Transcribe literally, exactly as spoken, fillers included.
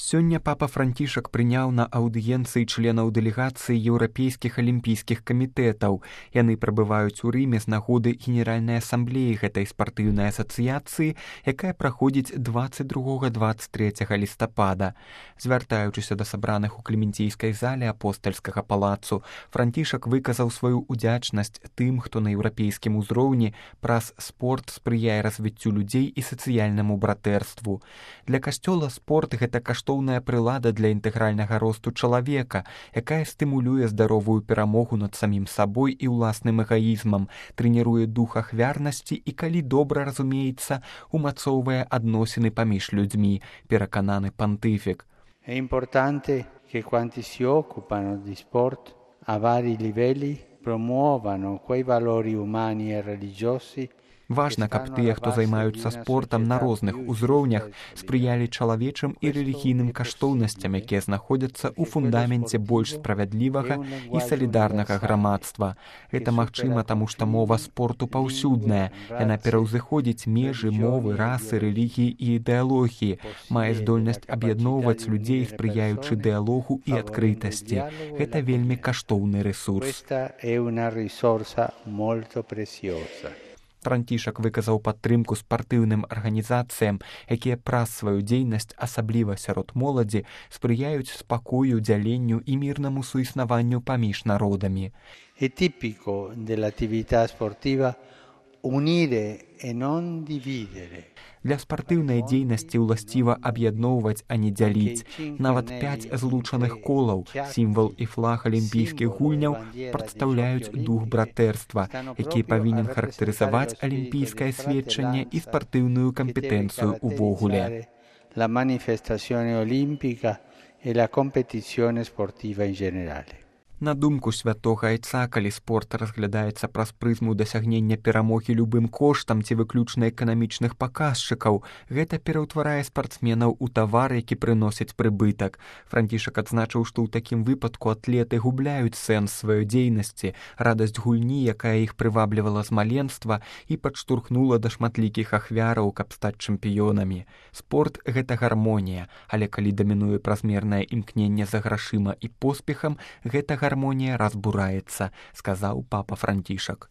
Сёння папа Францішак прыняў на аўдыенцыі членаў дэлегацыі еўрапейскіх алімпійскіх камітэтаў. Яны прабываюць у Рыме з нагоды Генеральнай асамблеі гэтай спартыўнай асацыяцыі, якая праходзіць дваццаць другога - дваццаць трэцяга лістапада. Звяртаючыся да сабраных у клементійскай зале апостальскага палацу, Францішак выказаў сваю удзячнасць тым, хто на еўрапейскім узроўні праз спорт спрыяе развіццю людзей і сацыяльнаму братэрству. Для касцёла спорт гэта каштоўная прылада для інтэгральнага росту чалавека, якая стымулюе здаровую перамогу над самім сабой і ўласным эгаізмам, трэніруе дух ахвярнасці і, калі добра разумеецца, умацоўвае адносіны паміж людзьмі, перакананы пантыфік. È importante che quanti si occupano di sport a vari livelli promuovano quei valori umani e religiosi. Важна, каб тыя, хто займаюцца спортам на розных узроўнях, спрыялі чалавечым і рэлігійным каштоўнасцям, якія знаходзяцца ў фундаменце больш справядлівага і салідарнага грамадства. Гэта магчыма, таму што мова спорту паўсюдная. Яна пераўзыходзіць межы мовы, расы, рэлігіі і ідэалогіі, мае здольнасць аб'ядноўваць людзей, спрыяючы дыялогу і адкрытасці. Гэта вельмі каштоўны рэсурс. Францішак выказаў падтрымку спартыўным арганізацыям, якія праз сваю дзейнасць, асабліва сярод моладзі, спрыяюць спакою, дзяленню і мірнаму суіснаванню паміж народамі. È tipico dell'attività sportiva unire e non dividere. Для спартыўнай дзейнасці ўласціва аб'ядноўваць, а не дзяліць. Нават пяць злучаных колаў, сімвал і флаг алімпійскіх гульняў, прадстаўляюць дух братэрства, які павінен характарызаваць алімпійскае сведчанне і спартыўную кампетэнцыю ўвогуле. La manifestazione olimpica e la competizione sportiva in generale. На думку святога айца, калі спорт разглядаецца праз прызму дасягнення перамогі любым коштам ці выключна эканамічных паказчыкаў, гэта пераўтварае спартсменаў у тавар, які прыносіць прыбытак. Францішак адзначыў, што ў такім выпадку атлеты губляюць сэнс сваёй дзейнасці, радасць гульні, якая іх прываблівала з маленства і падштурхнула да шматлікіх ахвяраў, каб стаць чэмпіёнамі. Спорт – гэта гармонія, але калі дамінуе празмернае імкненне за грашыма і поспехам, гэта гармонія разбураецца, сказаў папа Францішак.